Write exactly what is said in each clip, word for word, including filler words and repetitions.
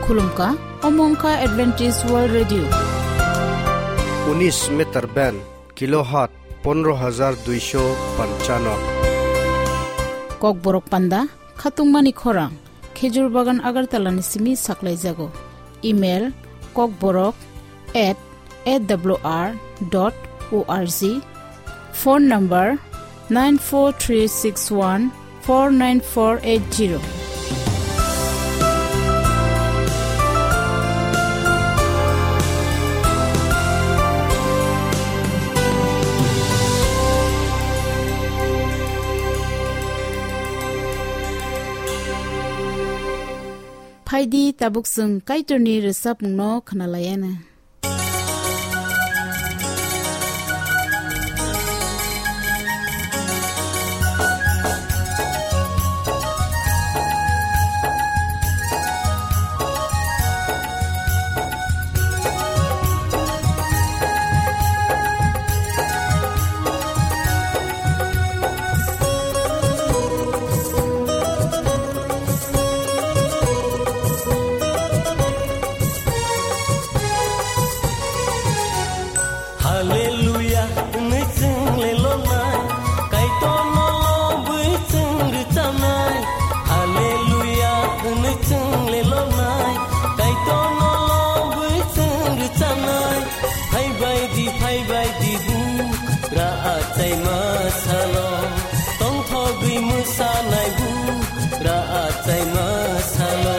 Khulumkha, omo wngkha Adventist World Radio. Unis meter band, kilohertz pondro hajar duisho panchano. Kokborok panda, khatungmani khorang, Khejur Bagan Agartala ni simi saklaijago. Email, kokborok at A W R dot O R G. Phone number nine four three six one four nine four eight zero. Phaidi tabuk chwng Kaitorni rwchapmungno khwnalaiana. Hallelujah, hwnwi chwng le lonai, Kaitorno lobwi chwng rwchanai. Hallelujah, hwnwi chwng le lonai, Kaitorno lobwi chwng rwchanai. Phaibai di, phaibai di, bu ra achaima salo, tongthogwi mwsanai bu ra achaima salo.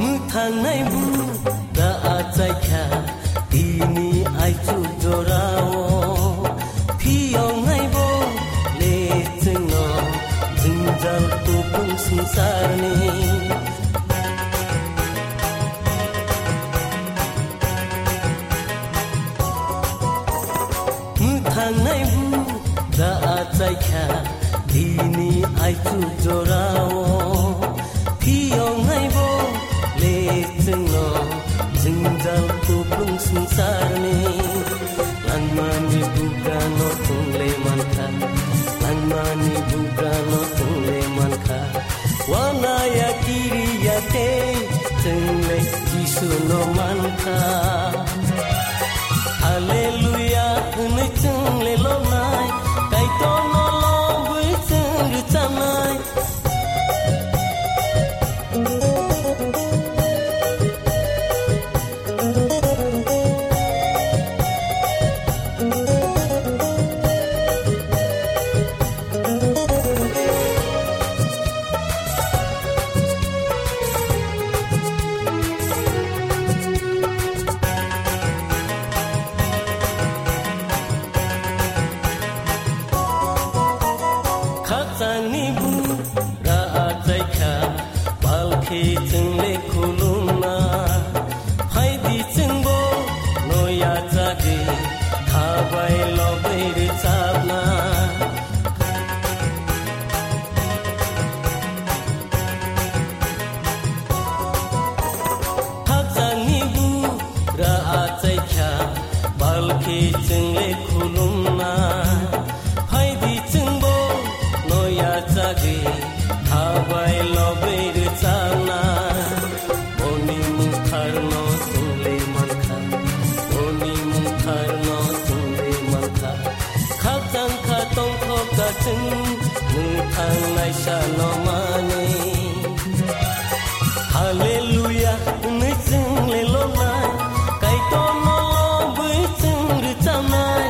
Mwthangnai bu da achaikha tini aichuk jorao, phiyongnai bo le chwngno jwngjal tubung swngcharni. Mwthangnai bu da achaikha tini aichuk jorao, phiyongnai bo le chwngno jwngjal tubung swngcharni. Langmani bugrano thungle mankha, langmani bugrano thungle mankha. Wanaya kiriya tei chwngle Jisuno mankha. Hallelujah hwnwi chwngle lonai, Kaitorno lobwi chwng rwchanai. Khakchangni bu ra achaikha, palkhi chwngle khulumna. Phaidi chwngbo noya chagwi, khabai lobwi rwchapna. Khakchangni bu ra achaikha, palkhi chwngle khulumna. Phaidi chwngbo noya chagwi, khabai lobwi rwchapna. Boni mungtharno chwngle mankha, boni mungtharno chwngle mankha. Khakchangkha tongthokha chwng, mwthang naisano manwi. Hallelujah hwnwi chwngle lonai, Kaitorno lobwi chwng rwchanai.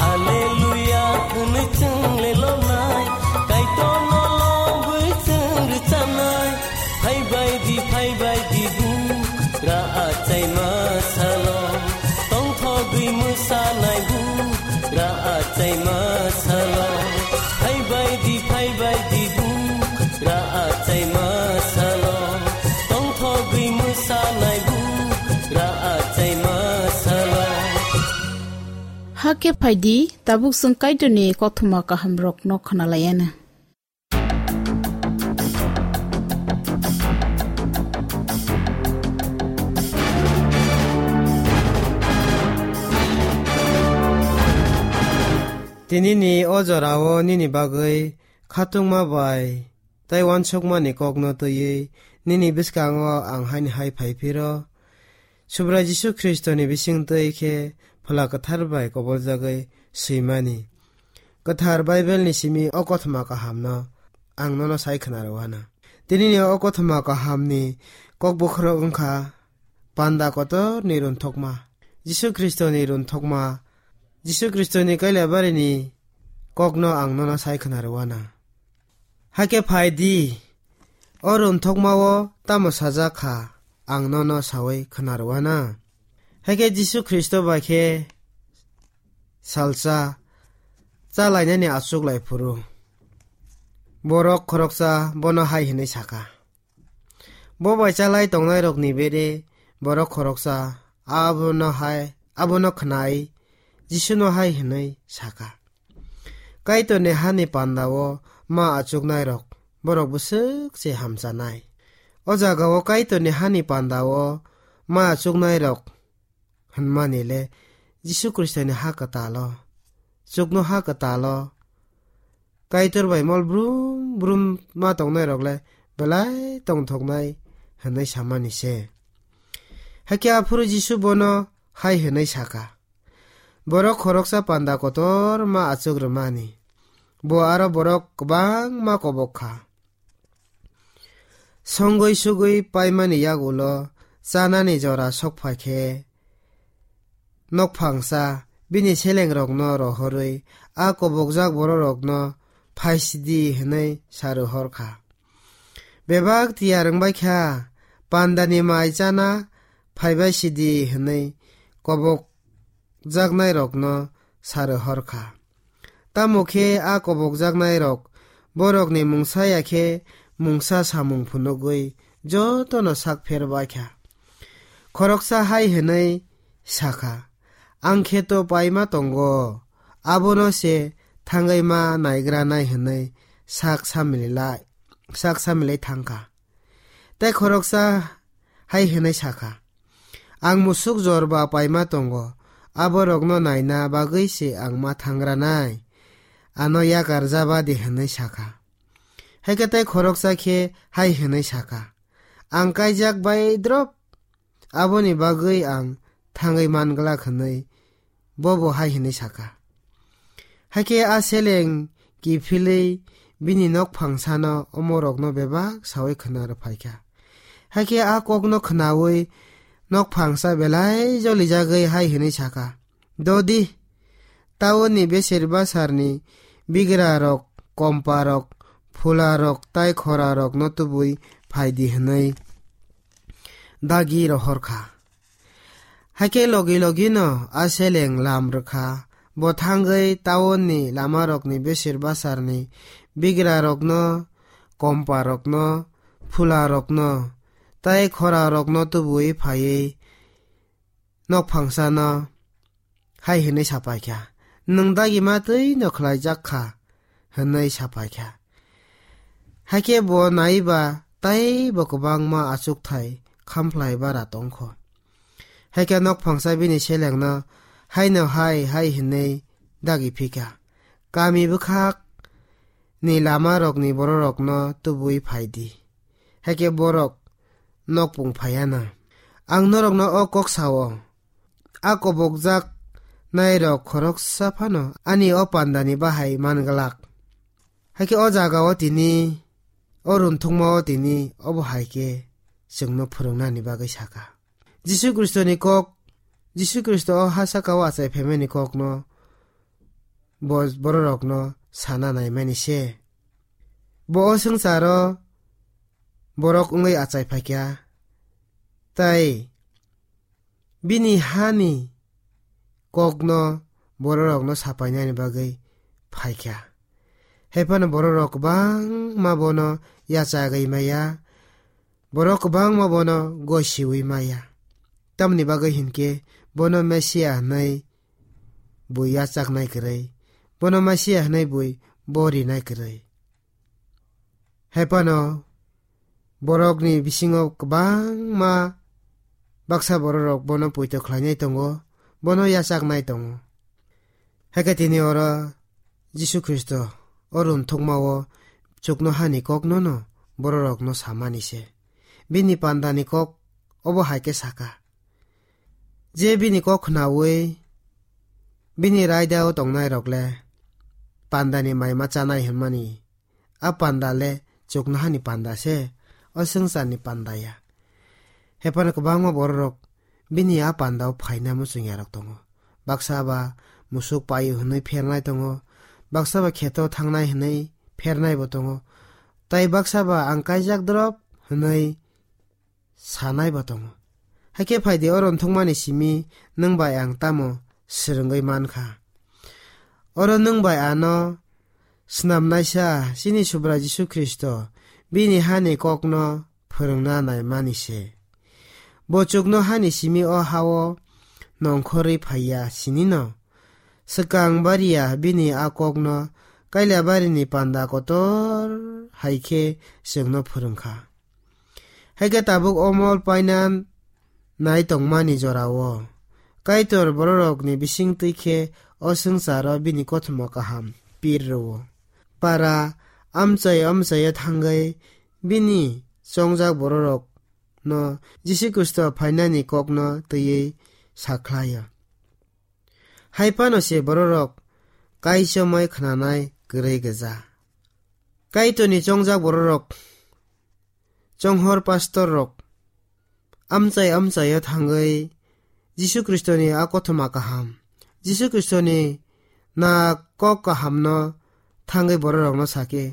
Hallelujah hwnwi chwngle lonai, Kaitorno lobwi chwng rwchanai. Phaibai di, phaibai di bu ra achaima salo, tongthogwi mwsanai bu ra achaima salo. Phaibai di, phaibai di bu ra achaima salo, tongthogwi mwsanai bu ra achai Hakhe phai di, tabuk chwng Kaitorni kothoma kahamrokno khna lai anw. Tinini o jorao nini bagwi khatungma bai tei uansukmani kokno twiwi nini bwskango ang haini hai phai phiro. Subrai Jisu Khristoni bisingtwi khe Phola Kwthar bai koboljagwi swimani. Kwthar Baibelni simi o kothoma kahamno ang nono sai khna rw anw. Tinini o kothoma kahamni kok bokhorok wngkha panda kotorni runthokma, Jisu Khristoni runthokma, Jisu Khristoni Kailabarini kokno ang nono sai khna rw anw. Hakhe phai di, o runthokmao tamo sajak kha, ang nono saui khna rw anw. Hakhe Jisu Khristo bai khe salsa chalainani achuk lai phuru borok khoroksa bono hai hwnwi sakha, "Bo bai chalai tongnairokni bere borok khoroksa abono hai, abono khnai Jisuno hai hwnwi sakha, 'Kaitorni hani pandao ma achuknairok borok bwswk se hamchanai.'" O jagao Kaitorni hani pandao ma achuknairok hwnmani le Jisu Khristoni ha kwtalo, chukno ha kwtalo, Kaitor bai mol brum brum ma tongnairok le belai tongthoknai hwnwi samani se. Hakhe aphuru Jisu bono hai hwnwi sakha, "Borok khoroksa panda kotor ma achuk rwmani, bo aro borok kwbangma kobok kha." Songwi sugwi paimani yagulo chanani jora sok phai khe, nokphangsa bini selengrokno rohorwi a kobokjak bororokno phaisidi hwnwi sa rohor kha. Bebak tiyar wng bai kha, pandani mai chana phaibai sidi hwnwi kobokjaknairokno sa rohor kha. Tamo khe a kobokjaknairok borokni mungsa ya khe mungsa samung phunugwi jotono sak pher bai kha. Khoroksa hai hwnwi sa kha, "Ang khe to paima tongo, abono se thangwi ma naigranai," hwnwi sak samilai, sak samilai thang kha. Tei khoroksa hai hwnwi sa kha, "Ang musuk jor ba paima tongo, aborokno naina bagwi se ang ma thangranai, ano yakar ja ba di," hwnwi sa kha. Hai khe tei khoroksa khe hai hwnwi sa kha, "Ang kaijak bai drop, aboni bagwi ang thangwi man glak," hwnwi bobo hai hwnwi sa kha. Hakhe a seleng kiphilwi bini nokphangsano omorokno bebak saui khna rw phai kha. Hakhe a kokno khnaui nokphangsa belai jolijagwi hai hwnwi sa kha, "Dodi, taunni besir basarni bigrarok, komparok, phularok tai khorarokno tubui phai di," hwnwi dagi rohor kha. Hakhe logi logino a seleng lam rwkha. Bo thangwi taunni lamarokni besir basarni bigrarokno, komparokno, phularokno tai khorarokno tubui phaiwi nokphangsano hai hwnwi sa pai kha, "Nwng dagima twi no khlaijak kha," hwnwi sa pai kha. Hakhe bo naiba tei bo kwbangma achukthai khamkhlai bara tong kho. Hakhe nokphangsa bini selengno haino hai hai hwnwi dagi phi kha, "Kami bwkhak ni lamarokni bororokno tubui phai di." Hakhe borok nokpung phai anw. Ang norokno o kok sao, a kobokjak nairok khoroksa phano ani o pandani bahai man glak. Hakhe o jagao tini, o runthukmao tini obo hai khe chwngno phwrwngnani bagwi sa kha. Jisu Khristoni kok, Jisu Khristo o ha saka o achai phaimani kokno bo bororokno sana naimani se. Bo o swngcharo borok wngwi achai phaikha, tai bini hani kokno bororokno sapainani bagwi phaikha. Hai phano bororok kwbangma bono yachagwi maya, borok kwbangma bono gosiwi maya. Tamoni bagwi hinkhe bono Mesia hwnwi bui yachaknai kwrwi, bono Masia hwnwi bui bo rinai kwrwi. Hai phano borokni bisingo kwbangma baksa bororok bono poito khlainai tongo, bono yachaknai tongo. Hai khe tini oro Jisu Khristo o rwngthokmao chuknohani koknono bororokno samani se. Bini pandani kok obo hai khe saka. Je bini kok khnaui bini raidao tongnairok le pandani mai ma chanai hwnmani, a panda le chuknohani panda se, o swngcharni panda ya. Hai phano kwbangma bororok bini a pandao phaina muchungyarok tongo. Baksa ba musuk paio hwnwi phernai tongo, baksa ba kheto thangnai hwnwi phernai bo tongo, tai baksa ba ang kaijak drop hwnwi sanai bo tongo. Hakhe phaidi, o rwngthokmani simi nwng bai ang tamo swrwngwi man kha? Oro nwng bai ano snamnaisa chini Subrai Jisu Khristo bini hani kokno phwrwngna naimani se. Bo chuknohani simi o hao nongkhorwi phaiya sinino. Swkang bariya bini a kokno Kailabarini panda kotor hai khe chwngno phwrwng kha. Hai khe tabuk o mol paina nai tongmani jorao Kaitor bororokni bisingtwi khe o swngcharo bini kothoma kaham pir rwo. Para amchai amchaio thangwi bini chongjak bororokno Jisu Khristo phainani kokno twiwi sakhlaio. Hai phano se bororok kaichomwi khnanai kwrwi gwja. Kaitorni chongjak bororok, chonghor pastor rok amchai amchaio thangwi Jisu Khristoni a kothoma kaham, Jisu Khristoni na kok kahamno thangwi bororokno sakhe,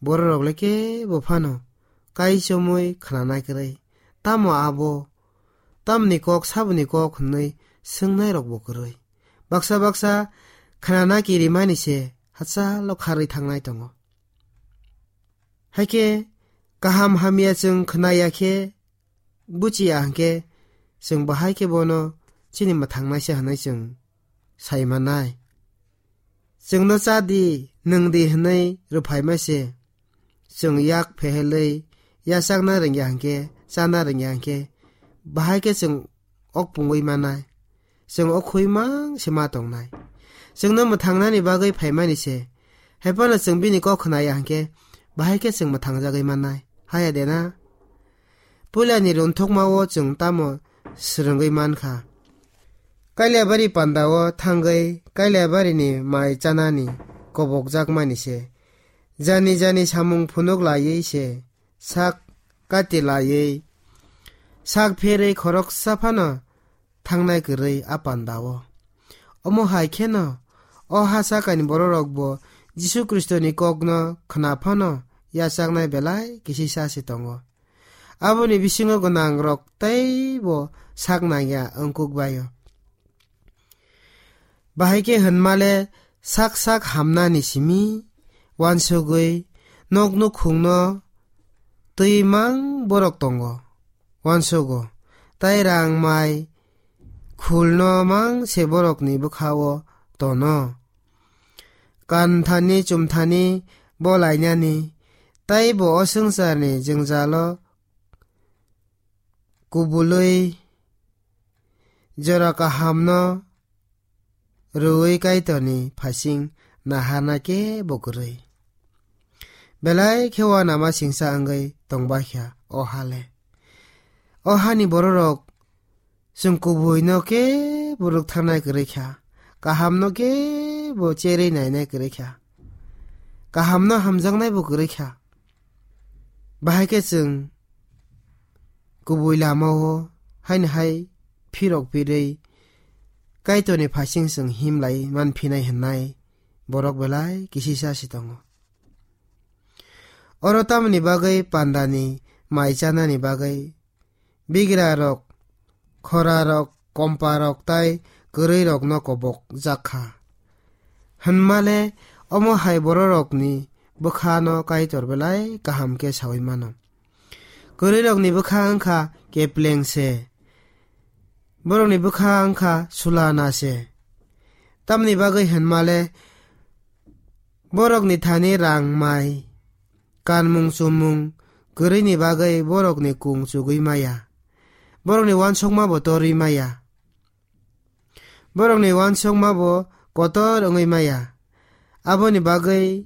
bororok le kebo phano kaichomwi khnanai kwrwi. Tamo abo, tamni kok, saboni kok hwnwi swngnairokbo kwrwi. Baksa baksa khnana kirimani se hachalo kharwi thangnai tongo. Hakhe kaham hamya chwng khnaya khe, buchiya hwnkhe, chwng bahai khe bono chini mwthangnaisa hwnwi chwng sai manai. Chwngno cha di, nwng di hwnwi rwphaima se. Chwng yak phehelwi yachakna rwngya hwnkhe, chana rwngya hwnkhe, bahai khe chwng ok pungwi manai. Chwng ok khui mang se ma tongnai. Chwngno mwthangnani bagwi phaimani se. Hai phano chwng bini kok khnaya hwnkhe, bahai khe chwng mwthangjagwi mannai. Haya de na? Puilani rwngthokmao chwng tamo swrwngwi man kha? Kailabari pandao thangwi Kailabarini mai chanani kobokjakmani se. Jani jani samung phunuk laiwi se, sak kati laiwi, sak pherwi khoroksa phano thangnai kwrwi a pandao. Omo hai kheno o ha sakani bororokbo Jisu Khristoni kokno khna phano yachaknai belai kisisa se tongo. Aboni bisingo gwnangrok teibo sak nangya wngkuk baio. Bahai khe hwnmale sak sak hamnani simi uansugwi nok nukhungno twi mang borok tongo, uansugo, tai rang mai khulno mang se borokni bwkhao tono. Kanthani chumthani bo lainani, taibo o swngcharni jwngjalo kubului jora kahamno rwui Kaitorni phasing naharna kebo kwrwi. Belai khe uanama singsa wngwi tongbaikha o hale. O hani bororok chwng kubuino kebo rwktharnai kwrwi kha, kahamno kebo cherwi nainai kwrwi kha, kahamno hamjaknaibo kwrwi kha. Bahai khe chwng kubui lamao haino hai phirok phirwi Kaitorni phasing chwng him lai man phinai hwnnai borok belai kisisa se tongo. Oro tamoni bagwi pandani mai chanani bagwi bigrarok, khorarok, komparok tai kwrwirokno kobokjak kha. Hwnmale omo hai bororokni bwkhano Kaitor belai kaham khe saui mano. Kwrwirokni bwkha wngkha kepleng se, borokni bwkha wngkha sulana se. Tamni bagwi hwnmale borokni thani rang mai, kanmung chumung kwrwini bagwi borokni kung chugwi maya. Borokni uansukma bo torwi maya. Borokni uansukma bo kotor wngwi maya. Aboni bagwi,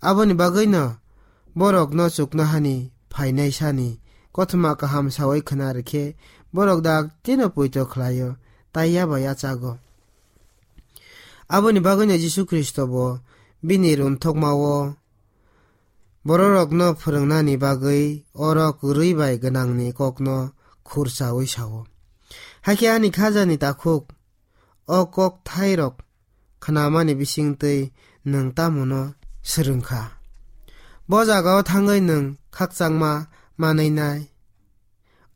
aboni bagwino borokno chuknohani phainai sani kothoma kaham sawi khna rwkhe borok daktino poito khlaio, tai yaba yachago. Aboni bagwino Jisu Khristo bo bini runthokmao bororokno phwrwngnani bagwi oro kwrwi bai gwnangni kokno khurchaui sao. Hakhe ani khajani takhuk o kokthairok khnamani bisingtwi nwng tamono swrwngkha? Bo jagao thangwi nwng khakchangma manwinai?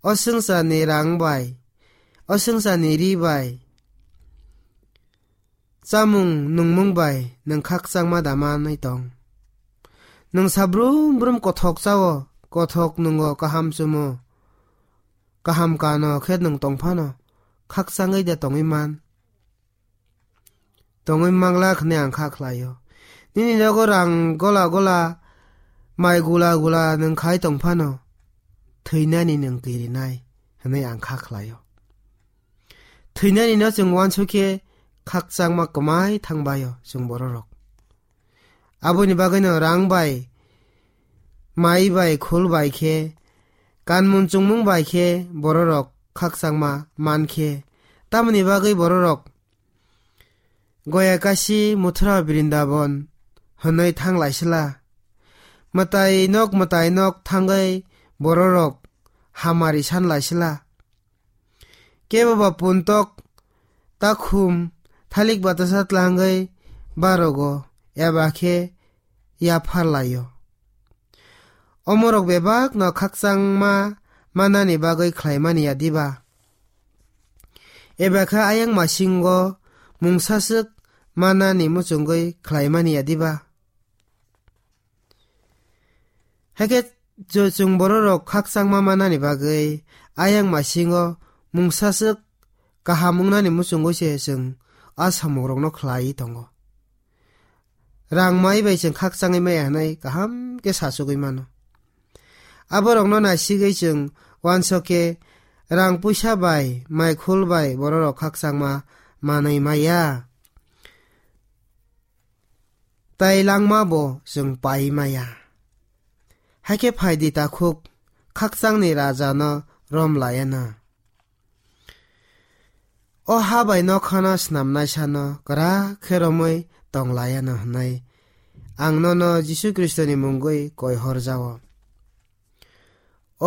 O swngcharni rang bai, o swngcharni ri bai, chamung nungmung bai nwng khakchangma da manwi tong? Nwng sabrum brum kothok chao, kothok nungo, kaham chumo, kaham kano khe nwng tongphano khakchangwi da tongwi man? Tongwi mangla hwnwi ang kha khlaio. Nini nogo rang gola gola, mai gula gula nwng khai tongphano thwinani nwng kirinai hwnwi ang kha khlaio. Thwinani no chwng uansukhe khakchangma kwmai thangbaio chwng bororok. Aboni bagwino rang bai, mai bai, khul bai khe, kanmung chungmung bai khe bororok khakchangma mankhe, tamoni bagwi bororok Goya Kasi, Muthura Brindaban hwnwi thang laisila? Mwtai nok, mwtai nok thangwi bororok hamari san laisila? Kebo ba puntok, takhum, thalik batasa tlangwi barogo, eba khe yaphar laio. Omorok bebakno khakchangma manani bagwi khlaimani ya diba? Eba khe ayang masingo mungsaswk manani muchungwi khlaimani ya diba? Hakhe jo-, chwng bororok khakchangma manani bagwi ayang masingo mungsaswk kaham wngnani muchungwi se chwng a samungrokno khlaiwi tongo. Rang mai bai chwng khakchangwi maya hwnwi kaham khe sachugwi mano. Aborokno naisigwi chwng uansuk khe rang puisa bai, mai khul bai bororok khakchangma manwi maya. Tai langma bo chwng pai maya. Hakhe phai di takhuk, khakchangni raja no rom laiya na. O ha bai nokha no snamnai sano kwrak khe romwi tong laiya no hwnwi ang nono Jisu Khristoni mungwi koi hor jao.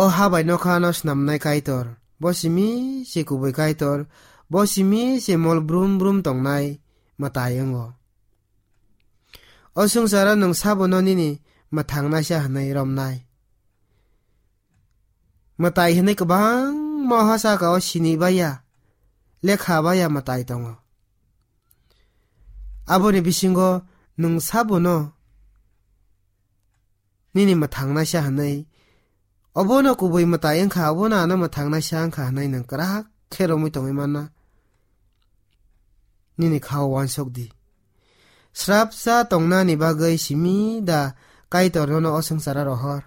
O ha bai nokha no snamnai Kaitor, bo simi se kubui Kaitor, bo simi se mol brum brum tongnai mwtai wngo. O swngcharo nwng sabono nini mwthangnaisa hwnwi romnai. Mwtai hwnwi kwbangma o ha saka o sini baiya, lekha baiya mwtai tongo. Aboni bisingo nwng sabono nini mwthangnaisa hwnwi, obono kubui mwtai wngkha, obono ano mwthangnaisa wngkha hwnwi nwng kwrak khe romwi tongwi manna. Nini kha-o uansuk di. Srapsa tongnani bagwi simi da Kaitor nono o swngcharo rohor?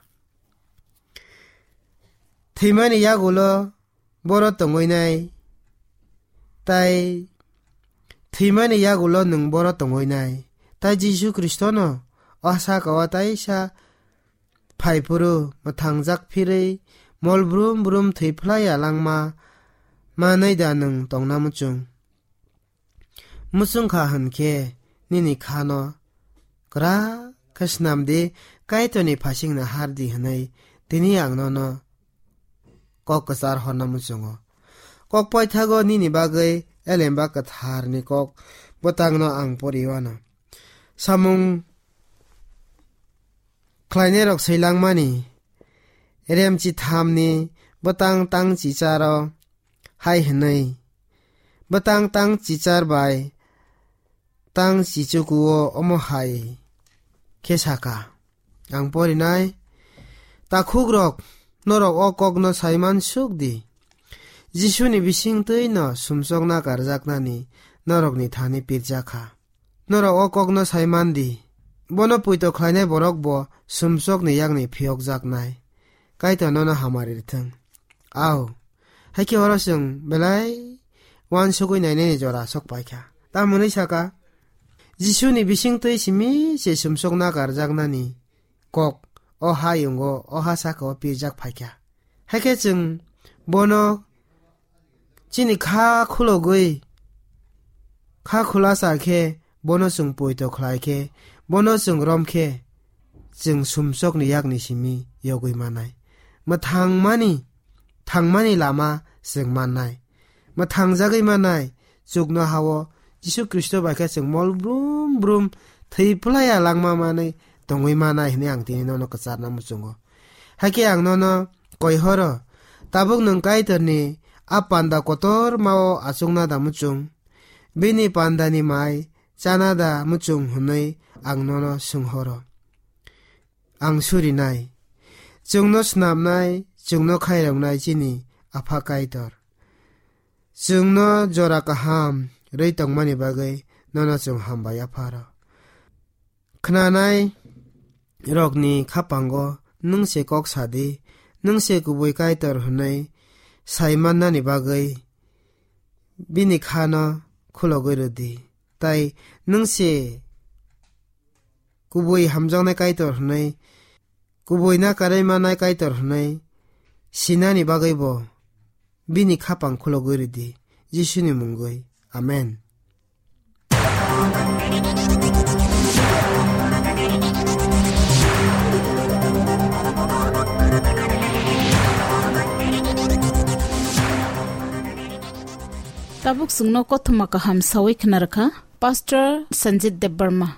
Thwimani yagulo boro tongwi nai, tai thwimani yagulo nwng boro tongwi nai. Tai Jisu Khristono o saka o taisa phai phuru mwthangjak phirwi mol brum brum thwi phlai ya langma manwi da nwng tongna muchung? Muchung kha hwn khe nini kha no kwrak khe snam di, Kaitorni phasingno har di hwnwi tini ang nono kok kwchar horna muchungo. Kok paithago nini bagwi elemba kwtharni kok bwtangno ang poriwano. Samung khlainairok swilangmani, Remchi thamni bwtang tang chicharo hai hwnwi, bwtang tang chichar bai tang chichukuo omo hai khe saka. Ang porinai, takhukrok, norok o kokno saiman suk di. Jisuni bisingtwino sumsokna karjaknani norokni thani pirjak kha. Norok o kokno sai man di, bono poito khlainai borok bo sumsokni yakni phiyokjaknai. Kaitor nono hamari rithwng. Au, hai khe oro chwng belai uansugwi nainani jora sok pai kha. Tamoni saka, Jisuni bisingtwi simi se sumsok nakarjaknani kok o hayungo, o ha saka o pirjak phaikha. Haikhe chwng bono chini kha khulogwi, kha khulasa khe bono chwng poito khlai khe, bono chwng rom khe, chwng sumsokni yakni simi yogwi manai. Mwthangmani, thangmani lama chwng mannai. Mwthangjagwi manai, chuknoha-o Jisu Khristo bai khe chwng mol brum brum thwi phlaiya langma manwi tongwi manai hwnwi ang tini nono kwcharna muchungo. Hakhe ang nono koi horo, tabuk nwng Kaitorni a panda kotorma-o achukna da muchung? Bini pandani mai chana da muchung hwnwi ang nono swng horo. Ang surinai, chwngno snamnai, chwngno khairoknai chini Apha Kaitor. Chwngno jora kaham rwi tongmani bagwi nono chwng hambai, Apharo. Khnanai rokni khapango nwng se kok sa di, nwng se kubui Kaitor hwnwi sai mannani bagwi bini khano khulogwi rw di. Tai nwng se kubui hamjaknai Kaitor hwnwi, kubui nakarwi mannai Kaitor hwnwi sinani bagwi bo bini khapang khulogwi rw di, Jisuni mungwi. Amen. Tabuk chwngno kothoma kaham sawi khna rwkha Pastor Sanjit Debbarma.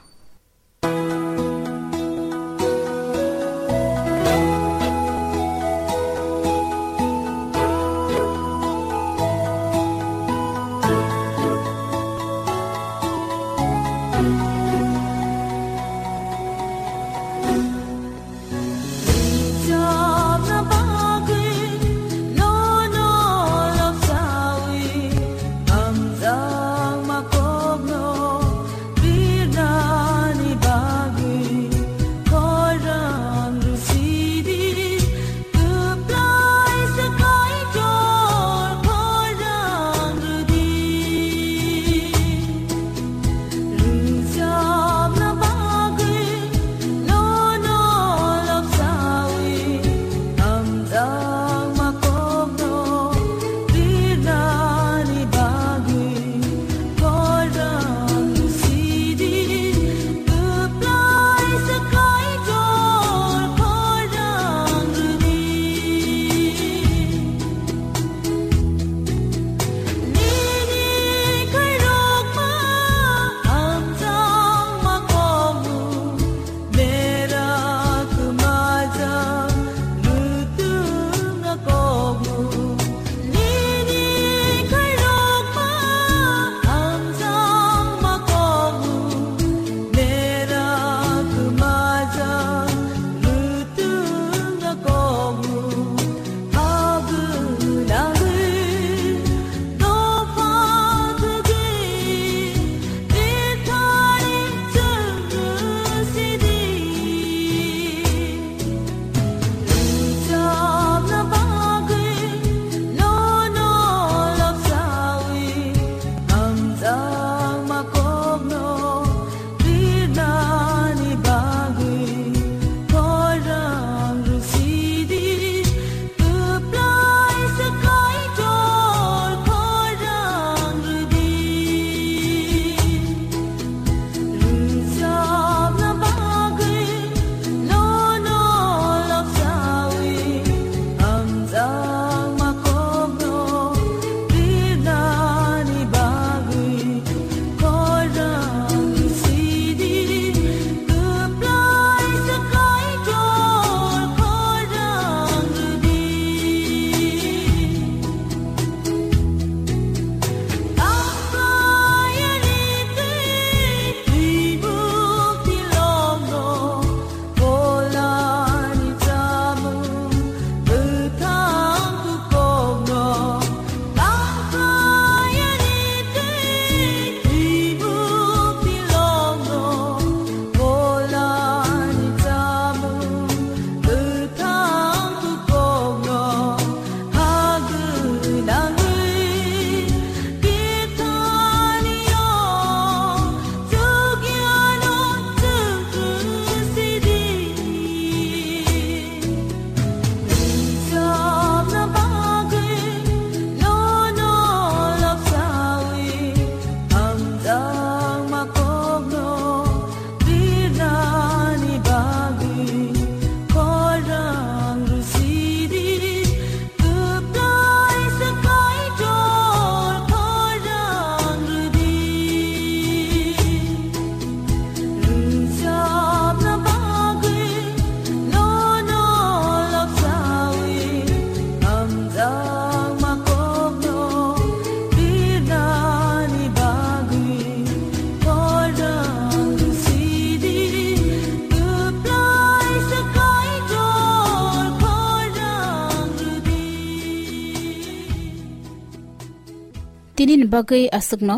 Nini bagwi aswkno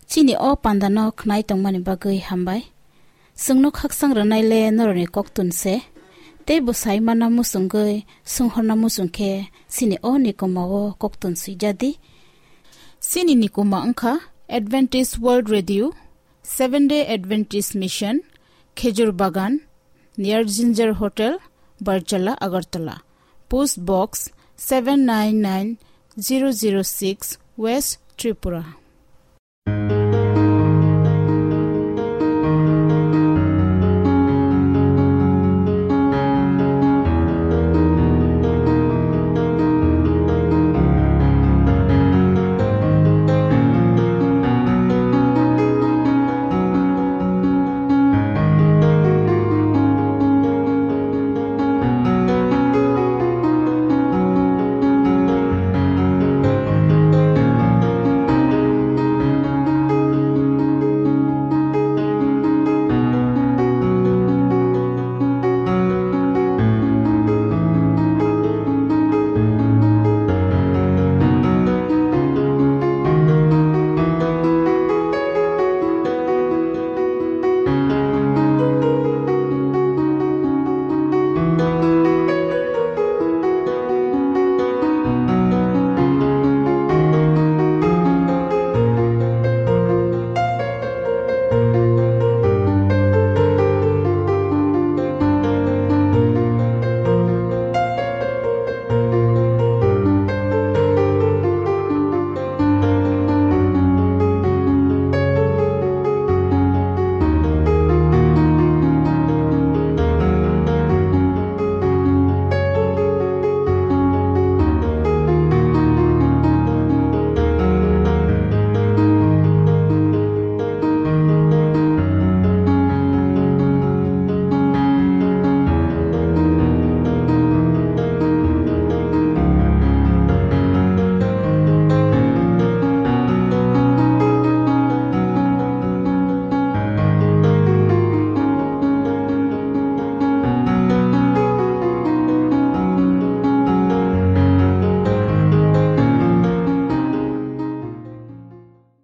chini o pandano khnai tongmani bagwi hambai. Chwngno khaksang rwnaile norokni koktun se, tei bo saimana muchungwi swnghorna muchung khe chini o nikoma o koktun swijadi. Chini nikoma wngkha Adventist World Radio, Seventh Day Adventist Mission, Khejur Bagan, near Ginger Hotel, Barchala, Agartala. Post Box seven nine nine zero zero six, West Tripura.